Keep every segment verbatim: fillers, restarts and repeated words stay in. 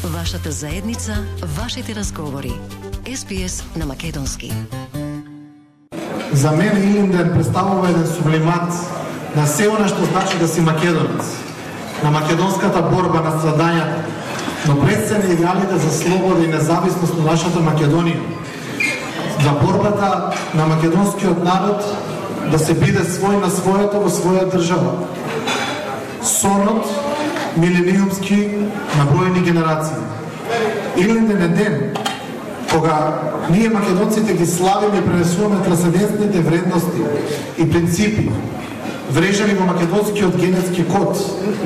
Вашата заедница, вашите разговори. Ес Би Ес на македонски. За мен Илинден представува еден сублимат на се она што значи да си македонец, на македонската борба, на страдањата, но пред се на идеалите за слобода и независност на нашата Македонија, за борбата на македонскиот народ да се биде свој на своето во своја држава. Сонот милениумски на бројни генерации. Илинден е ден кога ние македонците ги славиме и пренесуваме трансцендентните вредности и принципи, врежани во македонскиот генетски код,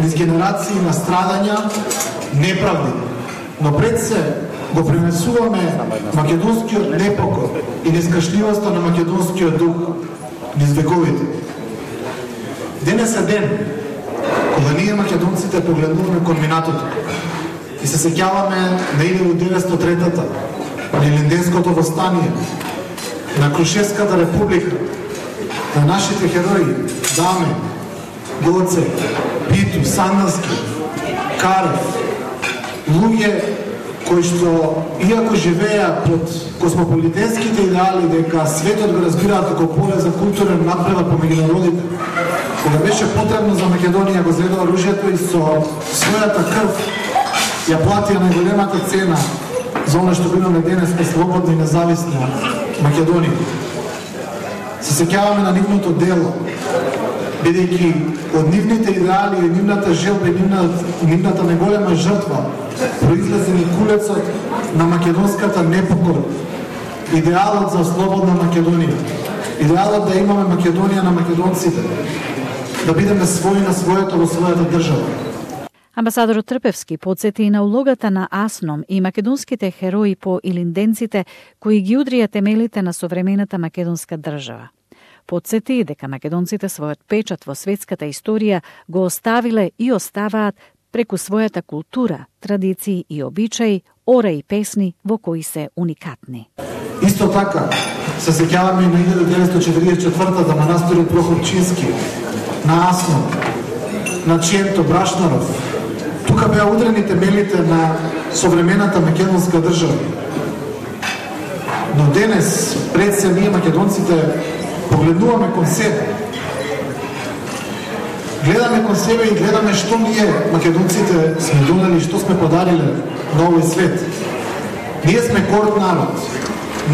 низ генерации на страдања, неправди. Но пред се го пренесуваме македонскиот непокор и нескашливоста на македонскиот дух низ вековите. Денес е ден кога ние македонците погледнуваме кон минатото и се сеќаваме на илјадум деветстотини и трета на Илинденското востание, на Крушевската република, на нашите херои Даме, Гоце, Питу, Сандански, Карев, луѓе кои што, иако живеа под космополитенските идеали дека светот го разбираат како поле за културен напредок помеѓу народите, кога беше потребно за Македонија го зедо оружјето и со својата крв ја платија најголемата цена за оно што имаме денес по слободна и независна Македонија. Се сеќаваме на нивното дело, бидејќи од нивните идеали и нивната желба и нивната, нивната најголема жртва произлезе ни кулецот на македонската непокора, идеалот за слободна Македонија, идеалот да имаме Македонија на македонците, да бидеме своји на своето во својата држава. Амбасадорот Трпевски подсети и на улогата на АСНОМ и македонските херои по илинденците кои ги удрија темелите на современата македонска држава. Подсети и дека македонците својот печат во светската историја го оставиле и оставаат преку својата култура, традиции и обичаи, ора и песни во кои се уникатни. Исто така, се сеќаваме и на илјадум деветстотини четиридесет и четврта манастирот Прохорчински, на АСНО, на Ченто, Брашнаров. Тука беа удрени темелите на современата македонска држава. Но денес, пред се ние македонците погледнуваме кон себе. Гледаме кон себе и гледаме што ние македонците сме донели, што сме подариле на овој свет. Ние сме горд народ,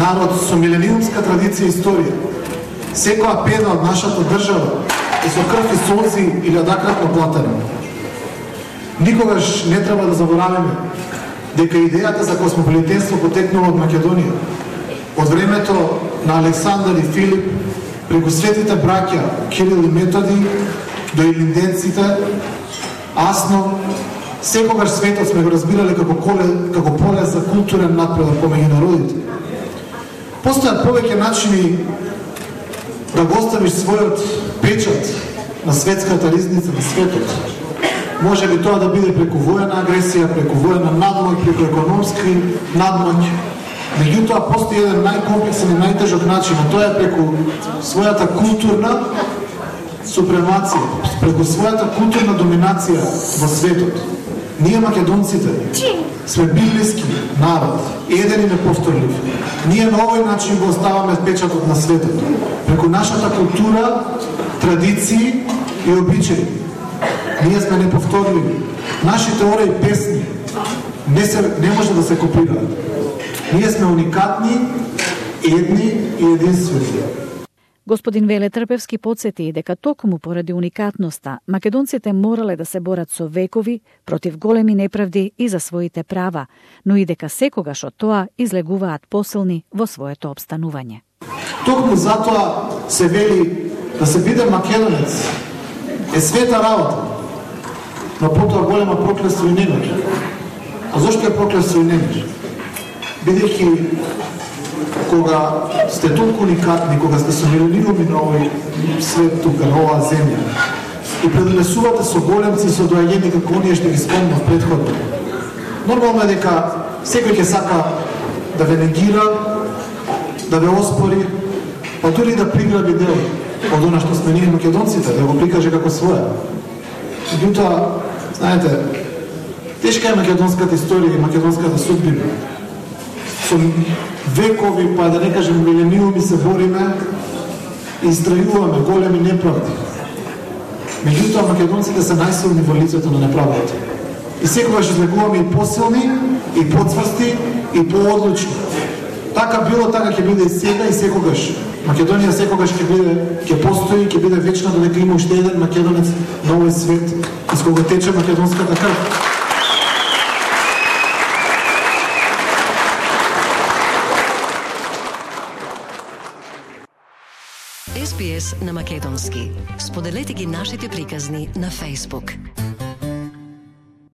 народ со милениумска традиција и историја. Секоја пена од нашата држава е со крв и солзи илјадакратно платена. Никогаш не треба да забораваме дека идејата за космополитенство потекнува од Македонија. Од времето на Александар и Филип, преку светите браќа Кирил и Методи, до илинденците, АСНО, секогаш светот сме го разбирале како, коле, како поле за културен напредок помеѓу народите. Постојат повеќе начини да го оставиш својот печат на светската ризница на светот. Може би тоа да биде преку војна агресија, преку војна надмоќ, преку економски надмоќ. Меѓутоа, постои еден најкомплексен и најтежок начин, а тоа е преку својата културна супремација, преку својата културна доминација во светот. Ние македонците сме библиски народ, еден и неповторлив. Ние на овој начин го оставаме печатот на светот, преку нашата култура, традиции и обичаи. Ние сме неповторливи. Нашите ора и песни не, се, не може да се копираат. Ние сме уникатни, едни и единствени. Господин Веле Трпевски подсети дека токму поради уникатноста, македонците морале да се борат со векови против големи неправди и за своите права, но и дека секогаш од тоа излегуваат посилни во своето обстанување. Токму затоа се вели да се биде македонец е света работа, но потоа голема проклетство и немир. А зошто е проклетство и немир? Бидејќи кога сте толку уникатни, кога сте со милионируми на овој свет тука, на оваа земја, и предонесувате со големци и со доаѓени како оние што ги спомнав предходно, нормално е дека секој ќе сака да ве негира, да ве оспори, па дури да приграби дел од она што сме ние македонците, да го прикаже како своја. Меѓутоа, знаете, Тешка е македонската историја и македонската судбина. Со векови, па да не кажем милениуми се бориме и истрајуваме големи неправди. Меѓутоа македонците се најсилни во лицето на неправдата. И секогаш излегуваме и посилни, и поцврсти, и поодлучни. Така било, така ќе биде и сега и секогаш. Македонија секогаш ќе биде, ќе постои, ќе биде вечна додека има уште еден македонец на овој свет, из кога тече македонската крв. Ес Би Ес на македонски. Споделете ги нашите приказни на Facebook.